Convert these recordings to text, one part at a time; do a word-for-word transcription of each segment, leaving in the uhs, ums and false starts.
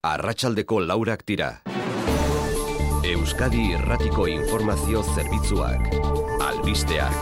Arratsaldeko laurak dira. Euskadi Irratiko Informazio Zerbitzuak. Albisteak.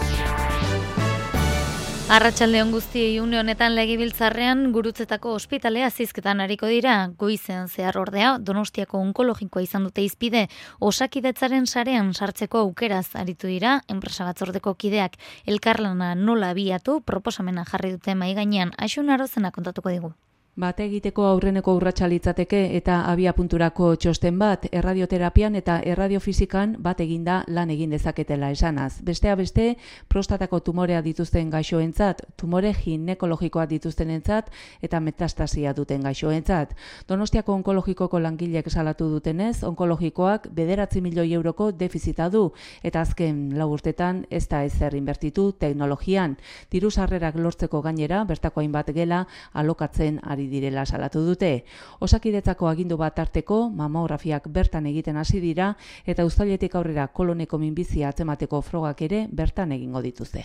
Arratsaldeon guztiei, une honetan Legebiltzarrean Gurutzetako ospitalea zizketan ariko dira. Goizean zehar ordea Donostiako onkologikoa izan dute hizpide. Osakidetzaren sarean sartzeko aukeraz aritu dira enpresa batzordeko kideak. Elkarlana nola abiatu proposamena jarri dute mahai gainean. Aixun Arozena kontatuko digu. Bate egiteko aurreneko urratsa litzateke eta abiapunturako txosten bat erradioterapian eta erradiofizikan bat eginda lan egin dezaketela esanaz. Besteak beste, prostatako tumorea dituzten gaixoentzat, tumore ginekologikoa dituztenentzat eta metastasia duten gaixoentzat. Donostiako onkologikoko langileek salatu dutenez, onkologikoak bederatzi milioi euroko defizita du eta azken lau urtetan ez da ezer inbertitu teknologian. Diru sarrerak lortzeko gainera, bertako hainbat gela alokatzen ari direla salatu dute. Osakidetzako agindu bat arteko mamografiak bertan egiten hasi dira eta uztailetik aurrera koloneko minbizia atzemateko frogak ere bertan egingo dituzte.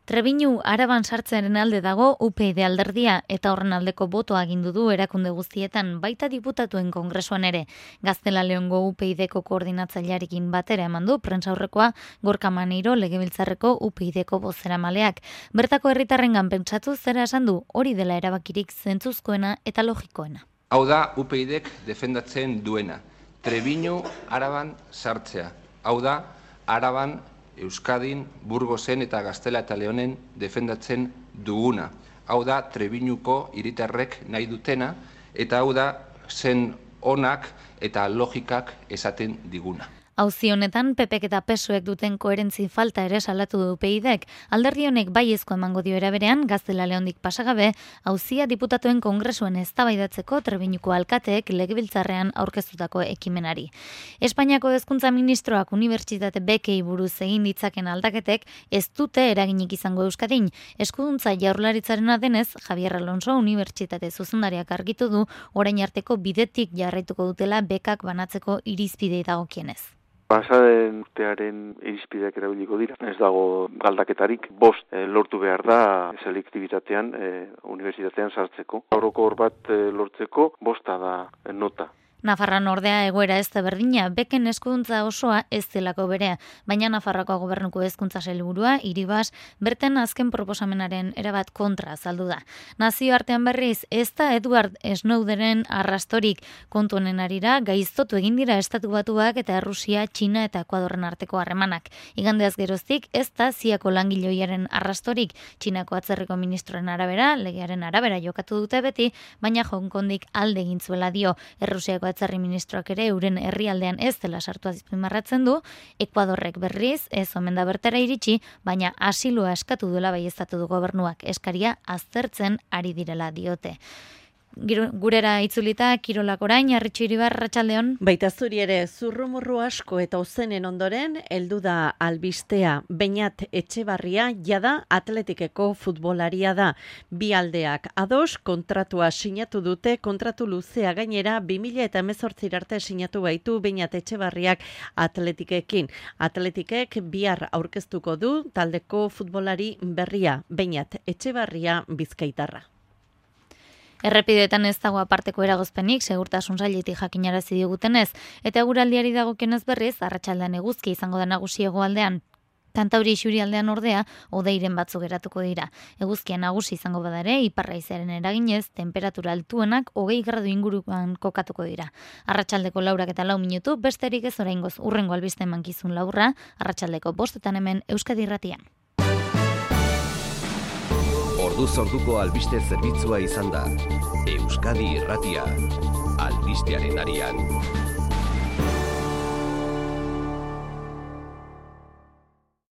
Trebiñu Araban sartzearen alde dago U P Y alderdia eta horren aldeko botoa agindu du erakunde guztietan, baita diputatuen kongresuan ere. Gaztela Leongo U P Y-ko koordinatzailearekin batera eman du prentsaurrekoa Gorka Maneiro Legebiltzarreko U P Y-ko bozeramaleak. Bertako herritarrengan pentsatu zera esan du, hori dela erabakirik zentzuzkoena eta logikoena. Hau da U P Y-ek defendatzen duena. Trebiñu Araban sartzea. Hau da Araban, Euskadin, Burgosen eta Gaztela eta Leonen defendatzen duguna. Hau da Trebiñuko hiritarrek nahi dutena eta hau da zen onak eta logikak esaten diguna. Auzi honetan P Pek eta P S Oek duten koherentzi falta ere salatu du U P Y-ek. Alderdi honek baiezko emango dio era berean, Gaztela Leondik pasagabe, auzia diputatuen kongresuan eztabaidatzeko Trebiñuko alkateek Legebiltzarrean aurkeztutako ekimenari. Espainiako hezkuntza ministroak unibertsitate bekei buruz egin ditzaken aldaketek ez dute eraginik izango Euskadin. Eskuduntza Jaurlaritzarena denez, Javier Alonso unibertsitate zuzendariak argitu du orain arteko bidetik jarraituko dutela bekak banatzeko irizpidei dagokienez. Pasaden urtearen irizpideak erabiliko dira. Ez dago galdaketarik. Bost e, lortu behar da selektibitatean e, unibertsitatean sartzeko. Orokor bat e, lortzeko bosta da e, nota. Nafarroan ordea egoera ez da berdina, beken eskuduntza osoa ez delako berea, baina Nafarroako gobernuko hezkuntza sailburua Iribas berten azken proposamenaren erabat kontra azaldu da. Nazioartean berriz ez da Edward Snowdenen arrastorik, kontu honen arira gaiztotu egin dira Estatu Batuak eta Errusia, Txina eta Ekuadorren arteko harremanak. Igandeaz geroztik ez da ziako langileoiaren arrastorik, Txinako atzerriko ministroen arabera, legearen arabera jokatu dute beti, baina Hong Kondik alde egin zuela dio. Errusiako atzerri ministroak ere euren herrialdean ez dela sartu azpimarratzen du, Ekuadorrek berriz ez omen da bertara iritsi, baina asilua eskatu duela baieztatu du gobernuak, eskaria aztertzen ari direla diote. Gurera itzulita, kirolak orain, Arritxu Iribar, arratsaldeon. Baita zuri ere, zurrumurru asko eta ozenen ondoren, heldu da albistea. Beñat Etxebarria jada atletikeko futbolaria da. Bi aldeak ados kontratua sinatu dute, kontratu luzea gainera bi mila hemezortzi arte sinatu baitu Beñat Etxebarriak atletikekin. Atletikek bihar aurkeztuko du taldeko futbolari berria, Beñat Etxebarria Bizkaitarra. Errepidetan ez dago aparteko eragozpenik, segurtasun sailetik jakinarazi digutenez, eta eguraldiari dagokionez berriz, arratsaldean eguzki izango da nagusi hegoaldean. Kantauri isurialdean ordea, hodeiren batzuk geratuko dira. Eguzkia nagusi izango bada ere, ipar haizearen eraginez, temperatura altuenak hogei gradu inguruan kokatuko dira. Arratsaldeko laurak eta lau minutu, besterik ez oraingoz urrengo albiste mankizun laurra, arratsaldeko bostetan hemen Euskadi Irratian. Orduz orduko albiste zerbitzua izan da. Euskadi Irratia. Albistearen arian.